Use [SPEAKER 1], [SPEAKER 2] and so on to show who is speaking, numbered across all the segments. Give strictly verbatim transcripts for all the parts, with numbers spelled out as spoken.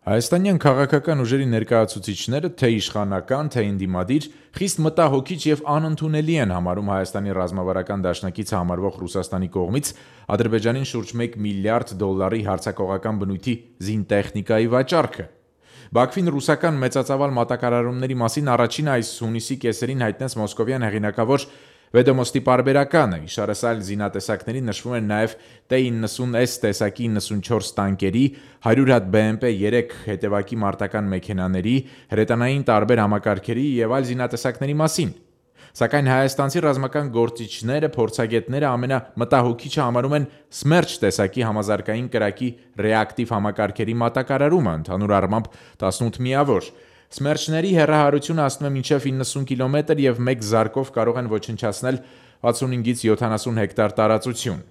[SPEAKER 1] Հայաստանյան քաղաքական ուժերի ներկայացուցիչները, թե իշխանական, թե ընդդիմադիր, խիստ մտահոգիչ եւ անընդունելի են համարում Հայաստանի ռազմավարական դաշնակից համարվող Ռուսաստանի կողմից Ադրբեջանին շուրջ մեկ միլիարդ դոլարի հարձակողական բնույթի զինտեխնիկայի վաճառքը։ Բաքվին ռուսական մեծածավալ մատակարարումների մասին առաջին այս հունիսի կեսերին հայտնեց մոսկովյան հեղինակավոր Վեդոմոստի պարբերականը, իշարս այլ զինատեսակների նշվում են նաև T ninety S տեսակի ninety-four տանկերի, one hundred հատ B M P three հետևակի մարտական մեքենաների, հրետանային տարբեր համակարգերի եւ այլ զինատեսակների մասին։ Սակայն հայաստանցի ռազմական գործիչները, փորձագետները ամենամտահոգիչը համարում են Սմերջ տեսակի համազարգային կրակի ռեակտիվ համակարգերի մատակարարումը, ընդհանուր առմամբ eighteen միավոր։ Սմերջների հեռահարությունը հասնում է մինչև ninety կիլոմետր եւ մեկ զարկով կարող են ոչնչացնել sixty-five-ից seventy հեկտար տարածություն։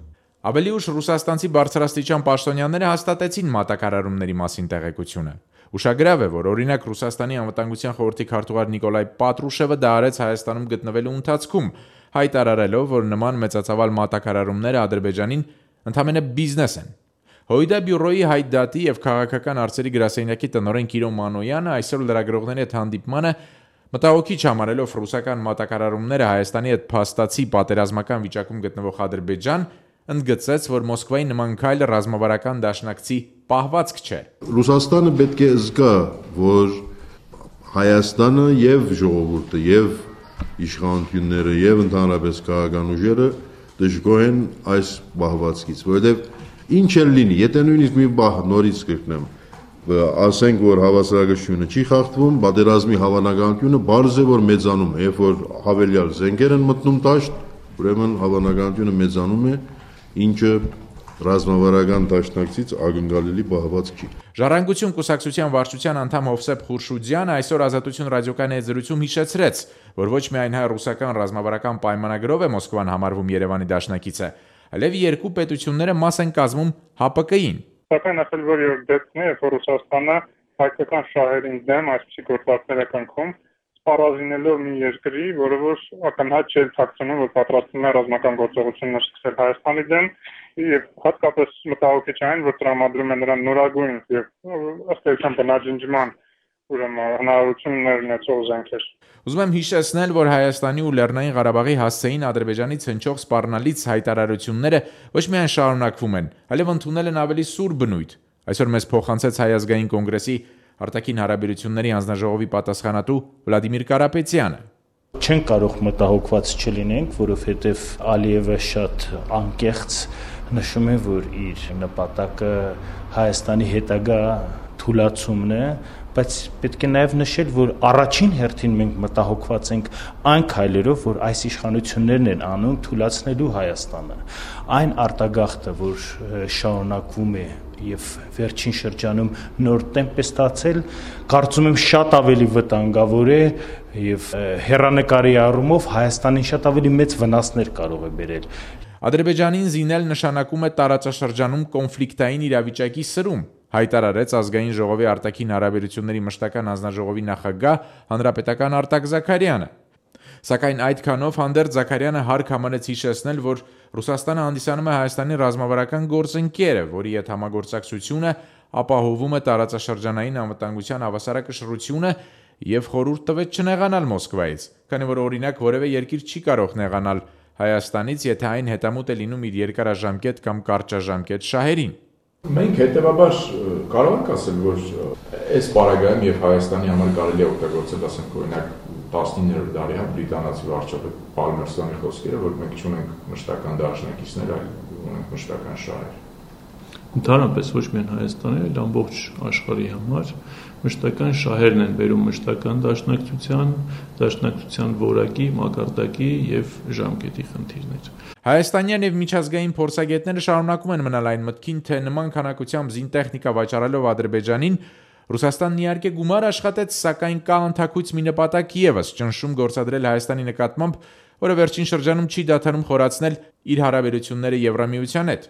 [SPEAKER 1] Ավելի ուշ ռուսաստանցի բարձրաստիճան պաշտոնյաները հաստատեցին մատակարարումների մասին տեղեկությունը։ Ուշագրավ է, որ օրինակ Ռուսաստանի անվտանգության խորհրդի քարտուղար Նիկոլայ Պատրուշևը դա արեց Հայաստանում գտնվելու ընթացքում, հայտարարելով, որ նման մեծածավալ մատակարարումները Ադրբեջանին ընդամենը բիզնես են։ Հոյդա բյուրոյի հայտդատի եւ քաղաքական արծերի գրասենյակի տնօրեն Կիրո Մանոյանը այսօր լրագրողների հետ հանդիպմանը մտահոգիչ համարելով ռուսական մատակարարումները Հայաստանի հետ փաստացի պատերազմական վիճակում գտնվող Ադրբեջան, ընդգծեց, որ Մոսկվայի նման քայլը ռազմավարական դաշնակցի պահվածք չէ։
[SPEAKER 2] Ռուսաստանը պետք է զգա, որ Հայաստանը եւ ժողովուրդը եւ իշխանությունները եւ ընդհանրապես քաղաքական ուժերը դժգոհ են այս պահվածքից, որովհետեւ ինչ էլ լինի, եթե նույնիսկ մի բախ նորից կրկնեմ, ասենք, որ հավասարակշռությունը չի խախտվում, պատերազմի հավանականությունը բարձր է, որ մեծանում է, երբ որ հավելյալ զենքեր են մտնում դաշտ, ուրեմն հավանականությունը մեծանում է, ինչը ռազմավարական դաշնակցից ակնկալելի պահվածք չի։
[SPEAKER 1] Ժառանգություն կուսակցության վարչության անդամ Հովսեփ Խուրշուդյանը այսօր Ազատություն ռադիոկայանի հետ զրույցում հիշեցրեց, որ ոչ միայն հայ-ռուսական ռազմավարական պայմանագրով է Մոսկվան համարվում Երևանի դաշնակիցը, այլև երկու պետությունները մաս են կազմում H P K-ին։
[SPEAKER 3] Սակայն ասել որ երբ դեպքն է, որ Ռուսաստանը հայկական շահերին դեմ այսպիսի գործարքներ է կնքում, սպառազինելով մի երկրի, որը որ ակնհայտ չէ ցածնում, որ պատրաստվում է ռազմական գործողություններ սկսել Հայաստանի դեմ, եւ հատկապես մտահոգիչ այն, որ տրամադրում է նրան նորագույն եւ ըստ էության բնաջնջման ուրեմն հնարավորություններ ունեցող զենքեր։
[SPEAKER 1] Ուզում եմ հիշեցնել, որ Հայաստանի ու Լեռնային Ղարաբաղի հասցեին Ադրբեջանից հնչող սպառնալից հայտարարությունները ոչ միայն շարունակվում են, այլև ընդունել են ավելի սուր բնույթ։ Այսօր մեզ փոխանցեց Հայ ազգային կոնգրեսի արտաքին հարաբերությունների հանձնաժողովի պատասխանատու Վլադիմիր Կարապետյանը։
[SPEAKER 4] Չենք կարող մտահոգված չլինենք, որովհետև Ալիևը շատ անկեղծ նշում է, որ իր նպատակը Հայաստանի հետագա թուլացումն է, բայց պետք է նաև նշել, որ առաջին հերթին մենք մտահոգված ենք այն քայլերով, որ այս իշխանություններն են անում թուլացնելու Հայաստանը։ Այն արտագաղթը, որ շարունակվում է եւ վերջին շրջանում նոր տեմպ է ստացել, կարծում եմ շատ ավելի վտանգավոր է եւ հեռանկարի առումով Հայաստանին շատ ավելի մեծ վնասներ կարող է բերել։
[SPEAKER 1] Ադրբեջանին զինել նշանակում է տարածաշրջանում կոնֆլիկտային իրավիճակի սրում, հայտարարեց ազգային ժողովի արտաքին հարաբերությունների մշտական հանձնաժողովի նախագահ հանրապետական Արտակ Զաքարյանը։ Սակայն այդքանով հանդերձ Զաքարյանը հարկ համարեց հիշեցնել, որ Ռուսաստանը հանդիսանում է Հայաստանի ռազմավարական գործընկերը, որի հետ համագործակցությունը ապահովում է տարածաշրջանային անվտանգության հավասարակշռությունը եւ խորհուրդ տվեց չնեղանալ Մոսկվայից, քանի որ օրինակ որևէ երկիր չի կարող նեղանալ Հայաստանից, եթե այն հետամուտ է լինում իր երկարաժամկետ կամ կարճաժամկետ շահերին։
[SPEAKER 5] Մենք հետևաբար կարող ենք ասել, որ այս պարագայում եւ Հայաստանի համար կարելի է օգտագործել, ասենք օրինակ տասնիններորդ դարի հա բրիտանացի վարչապետ Պալմերստոնի խոսքերը, որ մենք չունենք մշտական դաշնակիցներ, այլ ունենք մշտական շահեր։
[SPEAKER 6] Ընդհանրապես ոչ միայն Հայաստանի, այլ ամբողջ աշխարհի համար մշտական շահերն են բերում մշտական դաշնակցության, դաշնակցության որակի, մակարդակի եւ ժամկետի խնդիրներ։
[SPEAKER 1] Հայաստանյան եւ միջազգային փորձագետները շարունակում են մնալ այն մտքին, թե նման քանակությամբ զինտեխնիկա վաճառելով Ադրբեջանին Ռուսաստանն իհարկե գումար աշխատեց, սակայն կա անթաքույց մի նպատակ եւս՝ ճնշում գործադրել Հայաստանի նկատմամբ, որը վերջին շրջանում չի դադարում խորացնել իր հարաբերությունները Եվրամիության հետ։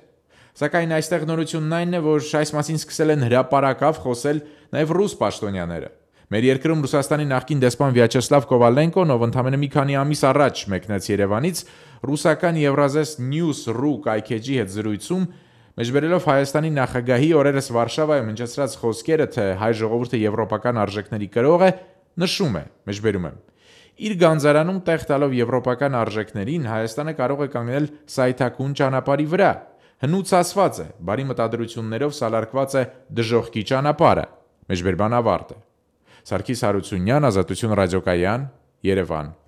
[SPEAKER 1] Սակայն այստեղ նորությունն այն է, որ այս մասին սկսել են հրապարակավ խոսել նաև ռուս պաշտոնյաները։ Մեր երկրում Ռուսաստանի նախկին դեսպան Վյաչեսլավ Կովալենկոն, ով ընդամենը մի քանի ամիս առաջ մեկնեց Երևանից, ռուսական Евразես News.ru կայքեջի հետ զրույցում Մեջբերելով Հայաստանի նախագահի օրերս Վարշավայում հնչեցրած խոսքերը, թե հայ ժողովուրդը եվրոպական արժեքների կրող է, նշում է, մեջբերում եմ. իր գանձարանում տեղ տալով եվրոպական արժեքներին, Հայաստանը կարող է կանգնել սայթաքուն ճանապարհի վրա, հնուց ասված է, բարի մտադրություններով սալարկված է դժոխքի ճանապարհը, մեջբերման ավարտ է։ Սարգիս Հարությունյան, Ազատություն ռադիոկայան, Երևան։